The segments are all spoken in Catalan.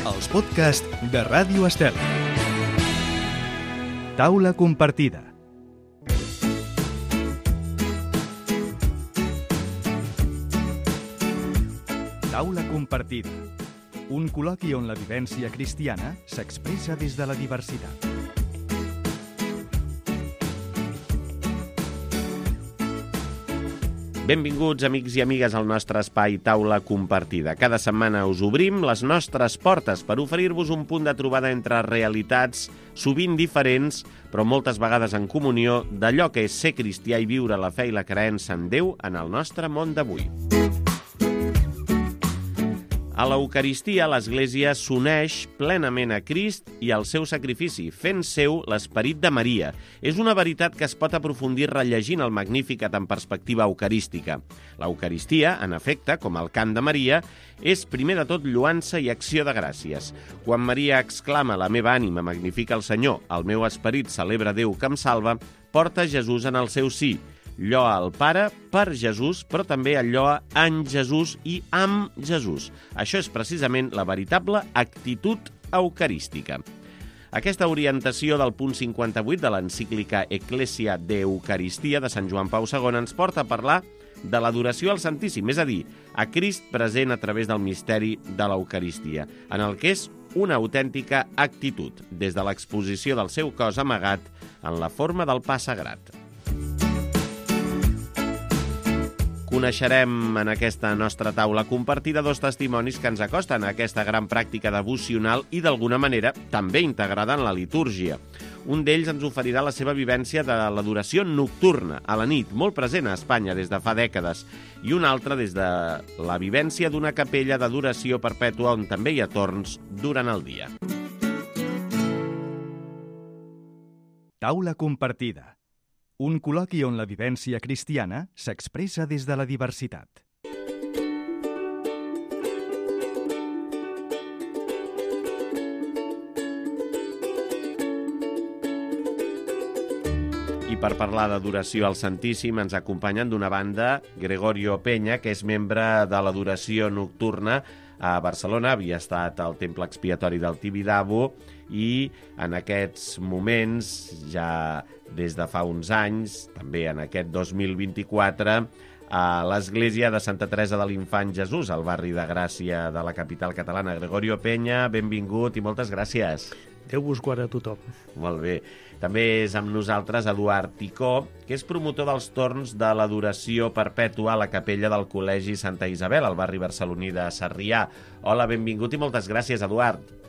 Els podcasts de Ràdio Estel. Taula compartida. Taula compartida. Un col·loqui on la vivència cristiana s'expressa des de la diversitat. Benvinguts, amics i amigues, al nostre espai Taula Compartida. Cada setmana us obrim les nostres portes per oferir-vos un punt de trobada entre realitats sovint diferents, però moltes vegades en comunió, d'allò que és ser cristià i viure la fe i la creença en Déu en el nostre món d'avui. A l'Eucaristia, l'Església s'uneix plenament a Crist i al seu sacrifici, fent seu l'esperit de Maria. És una veritat que es pot aprofundir rellegint el Magnificat en perspectiva eucarística. L'Eucaristia, en efecte, com el cant de Maria, és primer de tot lloança i acció de gràcies. Quan Maria exclama «La meva ànima magnifica el Senyor, el meu esperit celebra Déu que em salva», porta Jesús en el seu sí. Lloa el Pare per Jesús, però també el lloa en Jesús i amb Jesús. Això és precisament la veritable actitud eucarística. Aquesta orientació del punt 58 de l'encíclica Ecclesia de Eucaristia de Sant Joan Pau II ens porta a parlar de l'adoració al Santíssim, és a dir, a Crist present a través del misteri de l'Eucaristia, en el que és una autèntica actitud, des de l'exposició del seu cos amagat en la forma del pa sagrat. Coneixerem en aquesta nostra taula compartida dos testimonis que ens acosten a aquesta gran pràctica devocional i, d'alguna manera, també integrada en la litúrgia. Un d'ells ens oferirà la seva vivència de l'adoració nocturna, a la nit, molt present a Espanya des de fa dècades, i un altre des de la vivència d'una capella d'adoració perpètua on també hi ha torns durant el dia. Taula compartida. Un col·loqui on la vivència cristiana s'expressa des de la diversitat. I per parlar d'adoració al Santíssim ens acompanyen d'una banda Gregorio Peña, que és membre de l'adoració nocturna a Barcelona, havia estat al Temple Expiatori del Tibidabo i en aquests moments, ja des de fa uns anys, també en aquest 2024, a l'Església de Santa Teresa de l'Infant Jesús, al barri de Gràcia de la capital catalana. Gregorio Peña, benvingut i moltes gràcies. Déu vos guarda a tothom. Molt bé. També és amb nosaltres Eduard Ticó, que és promotor dels torns de l'adoració perpètua a la capella del Col·legi Santa Isabel, al barri barceloní de Sarrià. Hola, benvingut i moltes gràcies, Eduard.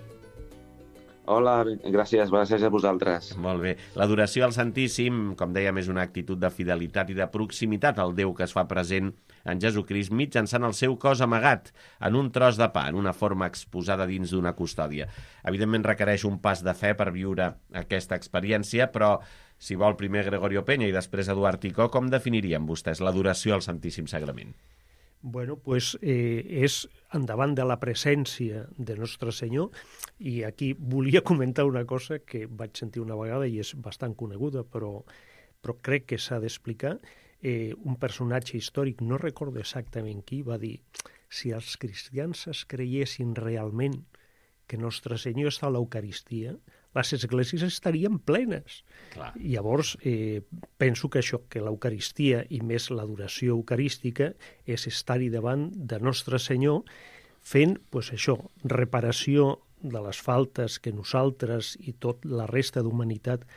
Hola, gràcies a vosaltres. Molt bé. L'adoració al Santíssim, com dèiem, és una actitud de fidelitat i de proximitat al Déu que es fa present en Jesucrist mitjançant el seu cos amagat en un tros de pa, en una forma exposada dins d'una custòdia. Evidentment requereix un pas de fe per viure aquesta experiència, però si vol primer Gregorio Peña i després Eduard Ticó, com definirien vostès l'adoració al Santíssim Sagrament? Bueno, pues és endavant de la presència de Nostre Senyor, i aquí volia comentar una cosa que vaig sentir una vegada i és bastant coneguda, però crec que s'ha d'explicar. Un personatge històric, no recordo exactament qui, va dir: si els cristians es creiessin realment que Nostre Senyor està a l'Eucaristia, les esglésies estarien plenes. Clar. Llavors, penso que això, que l'Eucaristia i més l'adoració eucarística és estar-hi davant de Nostre Senyor fent, pues, això, reparació de les faltes que nosaltres i tot la resta d'humanitat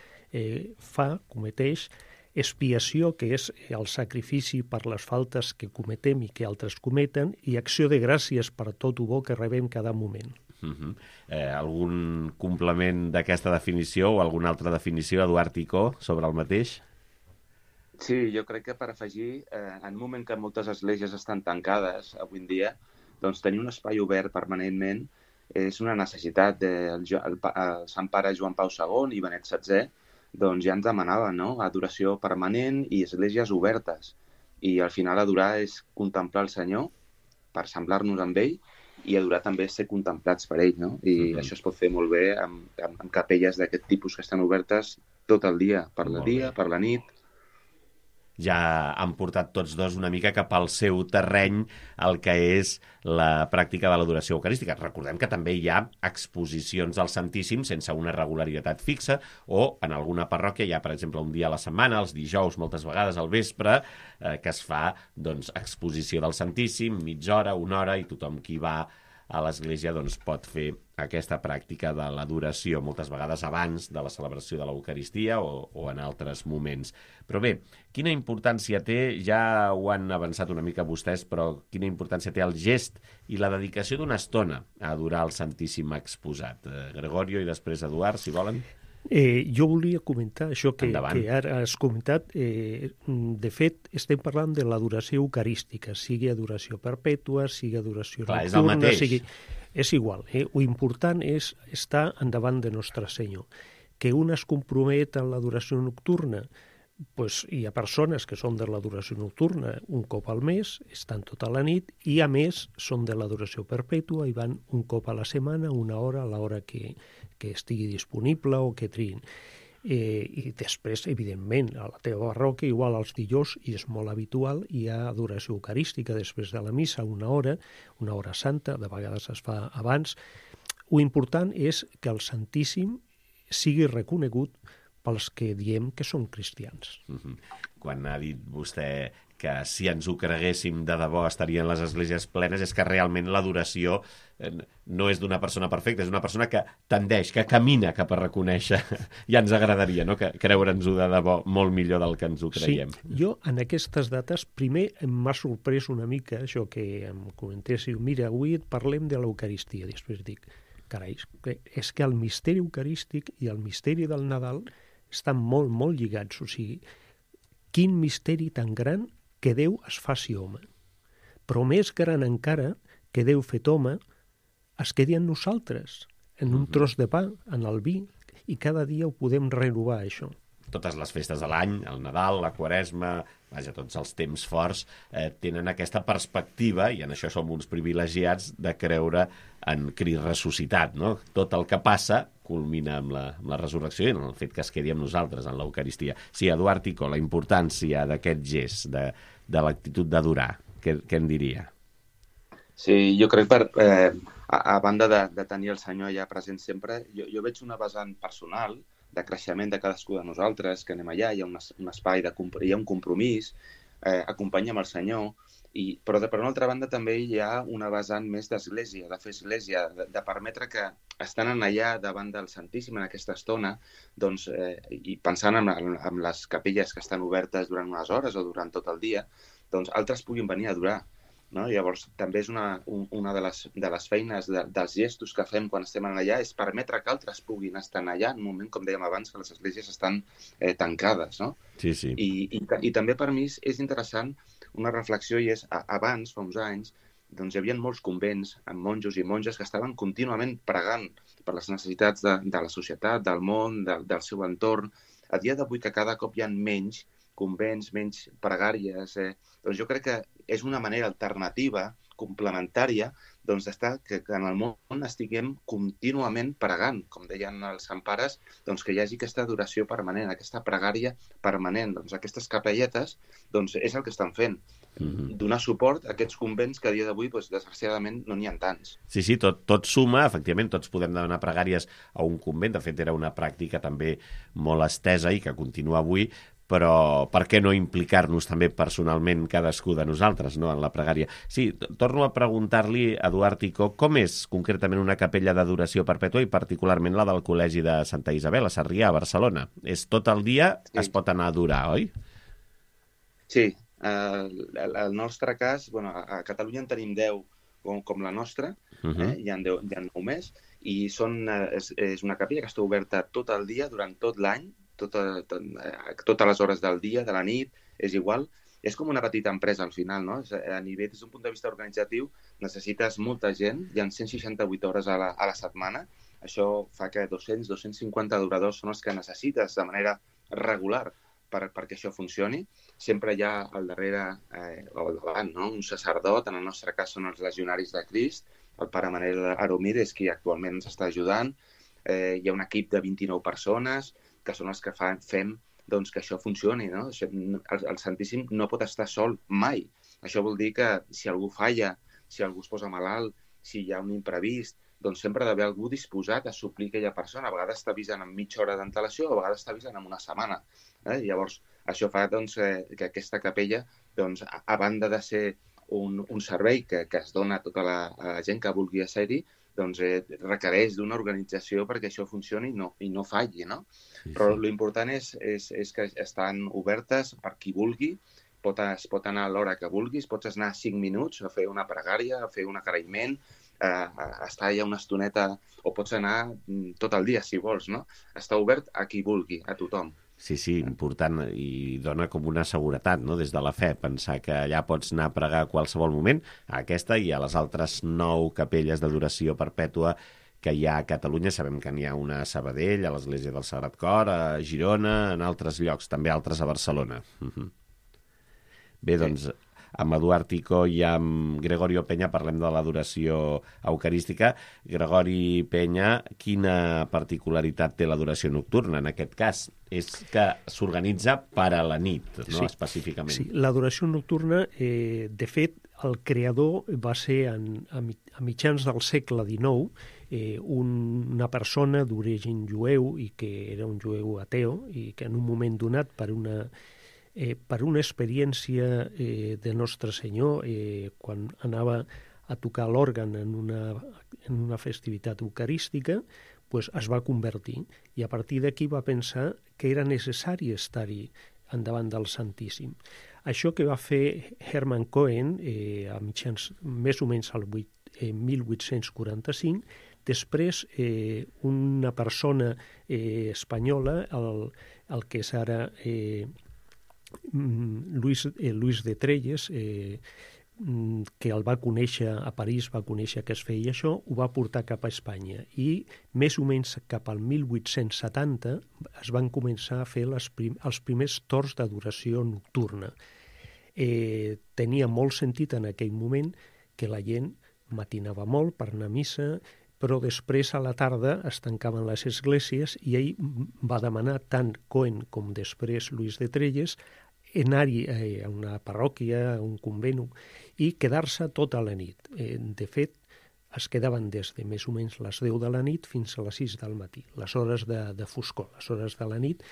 cometeix, expiació, que és el sacrifici per les faltes que cometem i que altres cometen, i acció de gràcies per tot el bo que rebem cada moment. Algun complement d'aquesta definició o alguna altra definició, Eduard Ticó, sobre el mateix? Sí, jo crec que per afegir, en un moment que moltes esglésies estan tancades avui en dia, doncs tenir un espai obert permanentment és una necessitat. El Sant Pare Joan Pau II i Benet XVI doncs ja ens demanaven, no?, adoració permanent i esglésies obertes. I al final adorar és contemplar el Senyor per semblar-nos amb ell, i adorar també és ser contemplats per ell, no? I això es pot fer molt bé amb capelles d'aquest tipus que estan obertes tot el dia, per la nit. ja han portat tots dos una mica cap al seu terreny el que és la pràctica de l'adoració eucarística. Recordem que també hi ha exposicions al Santíssim sense una regularitat fixa, o en alguna parròquia hi ha, per exemple, un dia a la setmana, els dijous, moltes vegades al vespre, que es fa exposició del Santíssim, mitja hora, una hora, i tothom qui va a l'església pot fer aquesta pràctica de l'adoració, moltes vegades abans de la celebració de l'Eucaristia o en altres moments. Però bé, quina importància té, ja ho han avançat una mica vostès, però quina importància té el gest i la dedicació d'una estona a adorar el Santíssim exposat? Gregorio i després Eduard, si volen. Jo volia comentar això que ara has comentat. De fet, estem parlant de l'adoració eucarística, sigui adoració perpètua, sigui adoració nocturna... És el mateix. És igual. Lo important és estar endavant de Nostre Senyor. Que un es compromet en l'adoració nocturna, hi ha persones que són de l'adoració nocturna un cop al mes, estan tota la nit, i a més són de l'adoració perpètua i van un cop a la setmana, una hora, a l'hora que estigui disponible o que triïn. I després, evidentment, a la teva parròquia, igual als dijous, i és molt habitual, hi ha adoració eucarística després de la missa, una hora santa, de vegades es fa abans. Lo important és que el Santíssim sigui reconegut pels que diem que són cristians. Quan ha dit vostè que si ens ho creguéssim de debò estarien les esglésies plenes, és que realment l'adoració no és d'una persona perfecta, és d'una persona que tendeix, que camina cap a reconèixer. Ja ens agradaria, no?, que creure'ns-ho de debò molt millor del que ens ho creiem. Sí, jo en aquestes dates primer m'ha sorprès una mica això que em comentéssiu, mira, avui parlem de l'Eucaristia, després dic, carai, és que el misteri eucarístic i el misteri del Nadal estan molt, molt lligats. O sigui, quin misteri tan gran que Déu es faci home. Però més gran encara que Déu fet home es quedi en nosaltres, en un tros de pa, en el vi, i cada dia ho podem renovar, això. Totes les festes de l'any, el Nadal, la Quaresma, tots els temps forts, tenen aquesta perspectiva, i en això som uns privilegiats, de creure en Crist ressuscitat, no? Tot el que passa culmina amb la resurrecció i en el fet que es quedi amb nosaltres, en l'Eucaristia. Sí, Eduard Ticó, la importància d'aquest gest, de l'actitud d'adorar, què en diria? Sí, jo crec a banda de tenir el Senyor allà present sempre, jo veig una vessant personal de creixement de cadascú de nosaltres, que anem allà, hi ha un espai, hi ha un compromís, acompanyem el Senyor, però per una altra banda també hi ha una vessant més d'església, de fer església, de permetre que estan allà davant del Santíssim en aquesta estona, doncs, i pensant en les capelles que estan obertes durant unes hores o durant tot el dia, doncs altres puguin venir a adorar. No? Llavors, també és una de les feines dels gestos que fem quan estem allà, és permetre que altres puguin estar allà en un moment, com dèiem abans, que les esglésies estan tancades. No? Sí, sí. I també per mi és interessant una reflexió, i és, abans, fa uns anys, doncs hi havia molts convents amb monjos i monges que estaven contínuament pregant per les necessitats de la societat, del món, del seu entorn. A dia d'avui, que cada cop hi ha menys convents, menys pregàries, doncs jo crec que és una manera alternativa, complementària, doncs d'estar que en el món estiguem contínuament pregant, com deien els sant pares, doncs que hi hagi aquesta adoració permanent, aquesta pregària permanent. Doncs aquestes capelletes doncs és el que estan fent. Donar suport a aquests convents que a dia d'avui, doncs, desgraciadament, no n'hi ha tants. Sí, tot suma, efectivament, tots podem demanar pregàries a un convent, de fet era una pràctica també molt estesa i que continua avui, però per què no implicar-nos també personalment cadascú de nosaltres, no?, en la pregària. Sí, torno a preguntar-li, Eduard Ticó, com és concretament una capella d'adoració perpètua i particularment la del Col·legi de Santa Isabel, a Sarrià, a Barcelona? És tot el dia, sí. Es pot anar a adorar, oi? Sí, el nostre cas, a Catalunya en tenim 10 com la nostra, hi ha 9 més, i és una capella que està oberta tot el dia, durant tot l'any, totes les hores del dia, de la nit, és igual. És com una petita empresa al final, no? A nivell, des d'un punt de vista organitzatiu, necessites molta gent, hi ha 168 hores a la setmana, això fa que 200-250 adoradors són els que necessites de manera regular perquè això funcioni. Sempre hi ha al darrere, o al davant, no?, un sacerdot, en el nostre cas són els legionaris de Crist, el pare Manel Aromir és qui actualment ens està ajudant, hi ha un equip de 29 persones, que són els que fem doncs, que això funcioni, no? El Santíssim no pot estar sol mai. Això vol dir que si algú falla, si algú es posa malalt, si hi ha un imprevist, doncs sempre ha d'haver algú disposat a suplir aquella persona. A vegades t'avisen amb mitja hora d'antelació, a vegades t'avisen amb una setmana. Llavors, això fa doncs, que aquesta capella, doncs, a banda de ser un servei que es dona a tota la gent que vulgui ser-hi, doncs requereix d'una organització perquè això funcioni i no falli, no? Sí. Però l'important és que estan obertes per qui vulgui, es pot anar a l'hora que vulguis, pots anar 5 minuts a fer una pregària, a fer un agraïment, a estar allà una estoneta, o pots anar tot el dia, si vols, no? Està obert a qui vulgui, a tothom. Sí, important, i dona com una seguretat, no?, des de la fe, pensar que allà pots anar a pregar a qualsevol moment, a aquesta i a les altres 9 capelles d'adoració perpètua que hi ha a Catalunya. Sabem que n'hi ha una a Sabadell, a l'Església del Sagrat Cor, a Girona, en altres llocs, també altres a Barcelona. Bé, doncs, amb Eduard Ticó i amb Gregorio Peña parlem de l'adoració eucarística. Gregori Peña, quina particularitat té l'adoració nocturna en aquest cas? És que s'organitza per a la nit, no? Sí, específicament. Sí, l'adoració nocturna, de fet, el creador va ser a mitjans del segle XIX, una persona d'origen jueu i que era un jueu ateu i que en un moment donat per una experiència de Nostre Senyor, quan anava a tocar l'òrgan en una festivitat eucarística, pues es va convertir. I a partir d'aquí va pensar que era necessari estar-hi endavant del Santíssim. Això que va fer Hermann Cohen, a mitjans més o menys al 1845, després una persona espanyola, el que és ara Luis de Trelles, que el va conèixer a París, va conèixer que es feia això, ho va portar cap a Espanya i més o menys cap al 1870 es van començar a fer els primers torns d'adoració nocturna. Tenia molt sentit en aquell moment que la gent matinava molt per anar a missa, però després a la tarda es tancaven les esglésies i ell va demanar, tant Cohen com després Luis de Trelles, anar-hi a una parròquia, a un convent, i quedar-se tota la nit. De fet, es quedaven des de més o menys les 10 de la nit fins a les 6 del matí, les hores de foscor, les hores de la nit,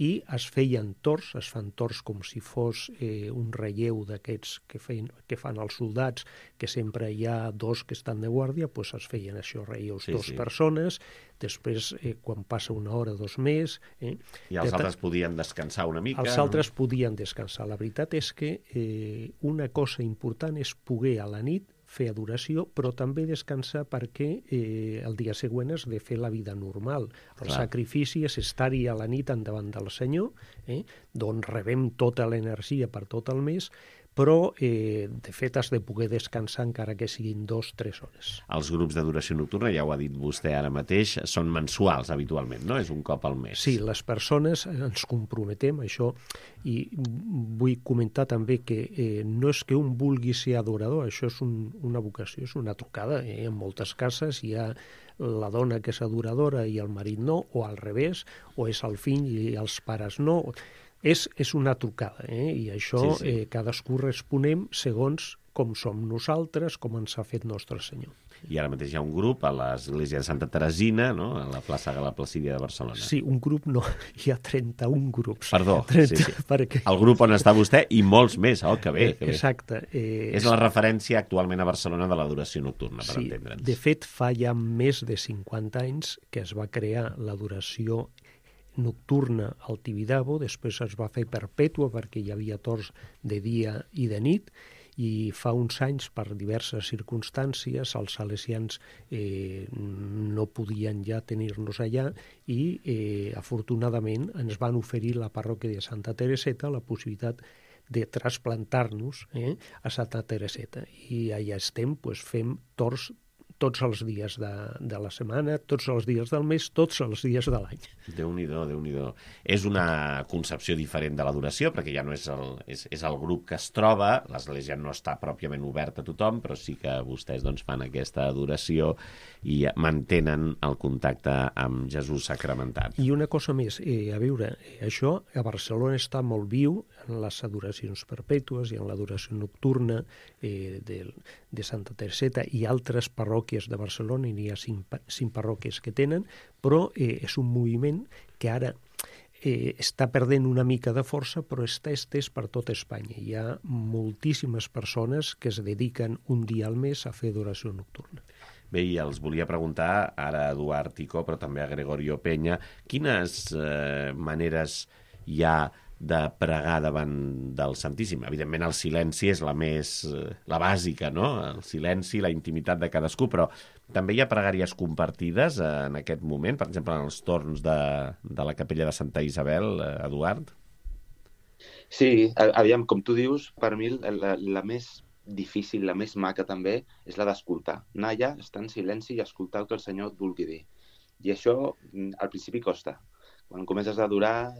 i es feien torns, es fan torns com si fos un relleu d'aquests que fan els soldats, que sempre hi ha 2 que estan de guàrdia, doncs es feien això, relleus, 2 persones, després quan passa una hora, 2 més... I els altres podien descansar una mica? Els altres podien descansar. La veritat és que una cosa important és poder a la nit fer adoració, però també descansar perquè el dia següent has de fer la vida normal. El sacrifici és estar-hi a la nit endavant del Senyor, d'on rebem tota l'energia per tot el mes, però de fet has de poder descansar encara que siguin 2-3 hores. Els grups d'adoració nocturna, ja ho ha dit vostè ara mateix, són mensuals habitualment, no? És un cop al mes. Sí, les persones ens comprometem a això, i vull comentar també que no és que un vulgui ser adorador, això és una vocació, és una trucada. En moltes cases hi ha la dona que és adoradora i el marit no, o al revés, o és el fill i els pares no. És una trucada, i això cadascú responem segons com som nosaltres, com ens ha fet Nostre Senyor. I ara mateix hi ha un grup a l'Església de Santa Teresina, no?, a la plaça de la Placídia de Barcelona. Sí, un grup no, hi ha 31 grups. Perdó, 30, sí. Perquè... El grup on està vostè i molts més, que bé. Exacte. És la referència actualment a Barcelona de l'adoració nocturna, per entendre'ns. De fet, fa ja més de 50 anys que es va crear l'adoració nocturna al Tibidabo, després es va fer perpètua perquè hi havia torns de dia i de nit, i fa uns anys, per diverses circumstàncies, els salesians no podien ja tenir-nos allà i afortunadament ens van oferir la parròquia de Santa Tereseta la possibilitat de trasplantar-nos a Santa Tereseta, i allà estem, fem torns tots els dies de la setmana, tots els dies del mes, tots els dies de l'any. Déu-n'hi-do, Déu-n'hi-do. És una concepció diferent de l'adoració, perquè ja no és el grup que es troba, l'església no està pròpiament oberta a tothom, però sí que vostès doncs, fan aquesta adoració i mantenen el contacte amb Jesús sacramentat. I una cosa més, a veure, això a Barcelona està molt viu en les adoracions perpètues i en l'adoració nocturna de Santa Tereseta i altres parròquies de Barcelona, i n'hi ha 5 parròquies que tenen, però és un moviment que ara està perdent una mica de força, però està estès per tot Espanya. Hi ha moltíssimes persones que es dediquen un dia al mes a fer adoració nocturna. Bé, i els volia preguntar ara a Eduard Ticó, però també a Gregorio Peña, quines maneres hi ha de pregar davant del Santíssim? Evidentment el silenci és la bàsica, no? El silenci, la intimitat de cadascú, però també hi ha pregàries compartides en aquest moment, per exemple, en els torns de la capella de Santa Isabel, Eduard? Sí, aviam, com tu dius, per mi la més difícil, la més maca també, és la d'escoltar. Anar allà, estar en silenci i escoltar el que el Senyor et vulgui dir. I això al principi costa. Quan comences a adorar,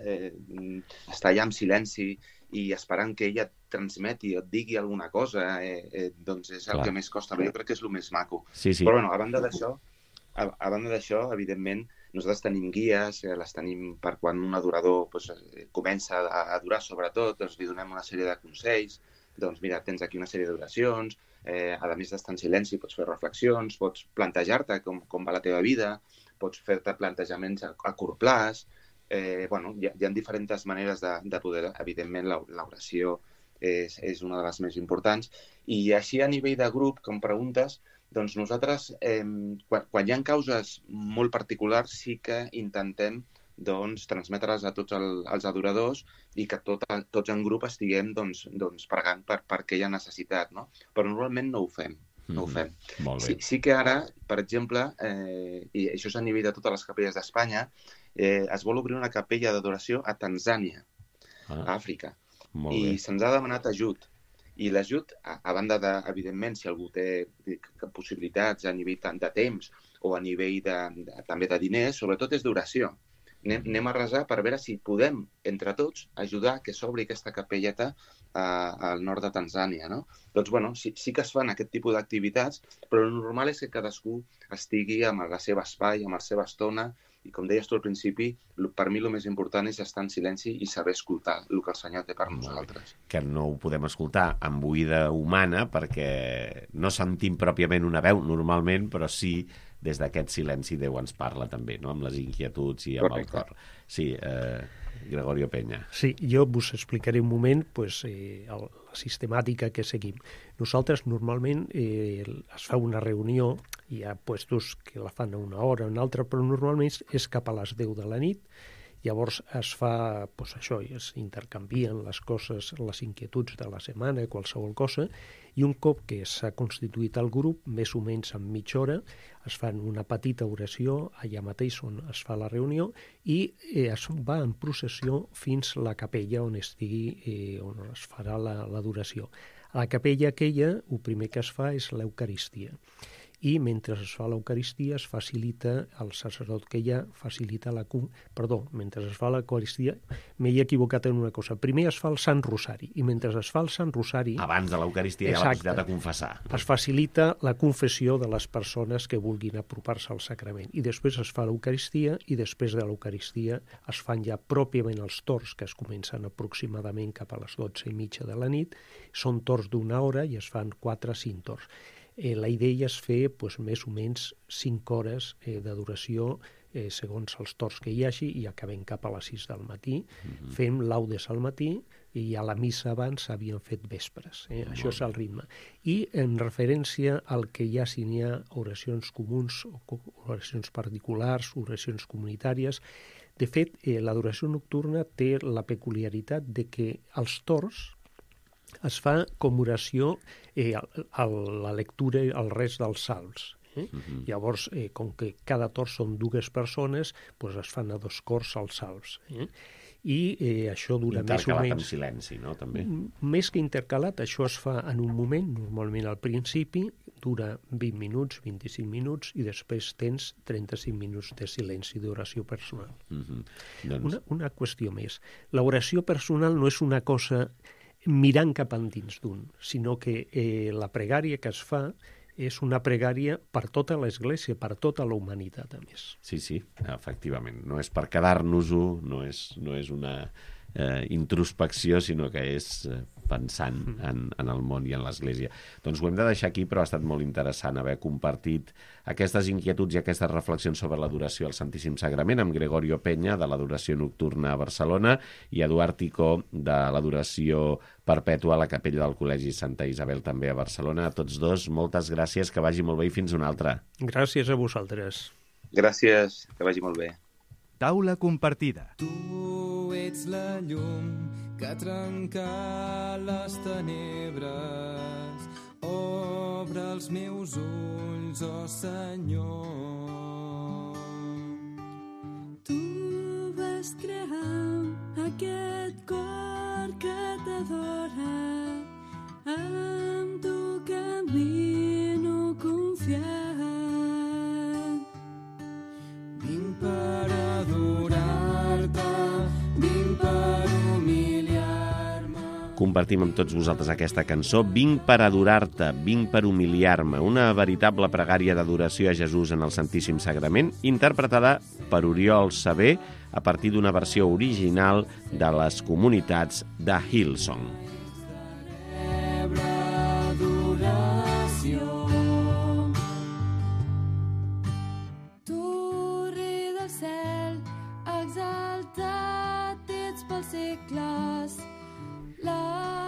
estar allà en silenci i esperant que ella et transmeti o et digui alguna cosa, doncs és el que més costa, però jo crec que és el més maco. Sí. Però bueno, a banda d'això, evidentment, nosaltres tenim guies, les tenim per quan un adorador comença a adorar, sobretot, doncs li donem una sèrie de consells. Doncs mira, tens aquí una sèrie d'oracions, a més d'estar en silenci pots fer reflexions, pots plantejar-te com va la teva vida, pots fer-te plantejaments a curt plaç. Hi ha diferents maneres de poder, evidentment l'oració és una de les més importants, i així a nivell de grup, com preguntes, doncs nosaltres, quan hi ha causes molt particulars, sí que intentem transmetre-les a tots els adoradors i que tots en grup estiguem pregant per aquella necessitat, no? Però normalment no ho fem. No ho fem. Sí que ara, per exemple, i això és a nivell de totes les capelles d'Espanya, es vol obrir una capella d'adoració a Tanzània, a Àfrica, i se'ns ha demanat ajut. I l'ajut, a banda de, evidentment, si algú té possibilitats a nivell tant de temps o a nivell també de diners, sobretot és d'oració. Anem a resar per veure si podem, entre tots, ajudar que s'obri aquesta capelleta al nord de Tanzània, no? Doncs, sí que es fan aquest tipus d'activitats, però el normal és que cadascú estigui amb el seu espai, amb la seva estona, i com deies tu al principi, per mi el més important és estar en silenci i saber escoltar el que el Senyor té per nosaltres. Que no ho podem escoltar amb oïda humana perquè no sentim pròpiament una veu normalment, però sí des d'aquest silenci Déu ens parla també, no? Amb les inquietuds i amb el cor. Sí, Gregorio Peña. Sí, jo vos explicaré un moment la sistemàtica que seguim. Nosaltres normalment es fa una reunió, hi ha puestos que la fan a una hora o una altra, però normalment és cap a les 10 de la nit. Llavors es fa, això, es intercanvien les coses, les inquietuds de la setmana, qualsevol cosa, i un cop que s'ha constituït el grup, més o menys en mitja hora, es fan una petita oració allà mateix on es fa la reunió i es va en processió fins a la capella on estigui, on es farà l'adoració. A la capella aquella, el primer que es fa és l'Eucaristia. I mentre es fa l'Eucaristia es facilita, el sacerdot que hi ha facilita mentre es fa l'Eucaristia, m'he equivocat en una cosa. Primer es fa el Sant Rosari, i mentre es fa el Sant Rosari... Abans de l'Eucaristia hi ha la possibilitat de confessar. Es facilita la confessió de les persones que vulguin apropar-se al sacrament. I després es fa l'Eucaristia, i després de l'Eucaristia es fan ja pròpiament els torns, que es comencen aproximadament cap a les 12:30 de la nit. Són torns d'1 hora i es fan 4 o 5 torns. La idea és fer més o menys 5 hores d'adoració segons els torns que hi hagi, i acabem cap a les 6 del matí. Fem laudes al matí i a la missa abans s'havien fet vespres. Això és el ritme. I en referència al que hi ha, si n'hi ha oracions comuns, oracions particulars, oracions comunitàries, de fet, l'adoració nocturna té la peculiaritat de que els torns es fa com oració a la lectura i al rest dels salms. Llavors, com que cada torn són 2 persones, es fan a 2 cors als salms. I això dura més o menys... Intercalat amb silenci, no? També. Més que intercalat, això es fa en un moment, normalment al principi, dura 20 minuts, 25 minuts, i després tens 35 minuts de silenci d'oració personal. Una qüestió més. L'oració personal no és una cosa mirant cap endins d'un, sinó que la pregària que es fa és una pregària per tota l'Església, per tota la humanitat, a més. Sí, efectivament. No és per quedar-nos-ho, no és una introspecció, sinó que és pensant en el món i en l'Església. Doncs ho hem de deixar aquí, però ha estat molt interessant haver compartit aquestes inquietuds i aquestes reflexions sobre l'adoració al Santíssim Sagrament amb Gregorio Peña, de l'Adoració Nocturna a Barcelona, i Eduard Ticó, de l'Adoració Perpètua a la Capella del Col·legi Santa Isabel, també a Barcelona. A tots dos, moltes gràcies, que vagi molt bé i fins una altra. Gràcies a vosaltres. Gràcies, que vagi molt bé. Taula compartida. Tu ets la llum que trenca les tenebres. Obre els meus ulls, oh Senyor. Tu vas crear aquest cor que t'adora. Amb tu camino confiat. Vinc per adorar-te, vinc per humiliar-me. Compartim amb tots vosaltres aquesta cançó, Vinc per adorar-te, vinc per humiliar-me, una veritable pregària d'adoració a Jesús en el Santíssim Sagrament, interpretada per Oriol Saber a partir d'una versió original de les comunitats de Hillsong.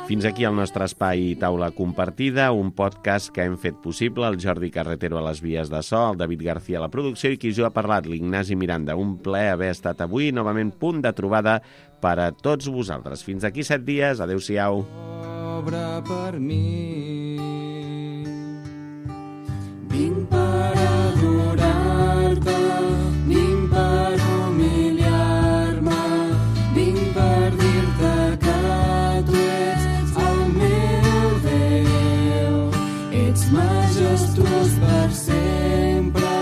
Fins aquí el nostre espai Taula Compartida, un podcast que hem fet possible, el Jordi Carretero a les vies de so, el David García a la producció i qui jo ha parlat, l'Ignasi Miranda. Un plaer haver estat avui, novament punt de trobada per a tots vosaltres. Fins aquí 7 dies, adeu-siau. Obre per mi. Vinc per adorar-te, vinc per humiliar-me, vinc per dir-te que tu ets el meu Déu. Ets majestuós per sempre,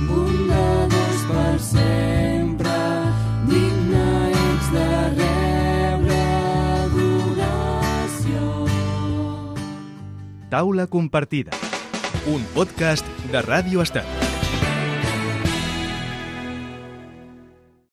bondadós per sempre, digne ets de rebre adoració. Taula compartida. Un podcast de Ràdio Estat.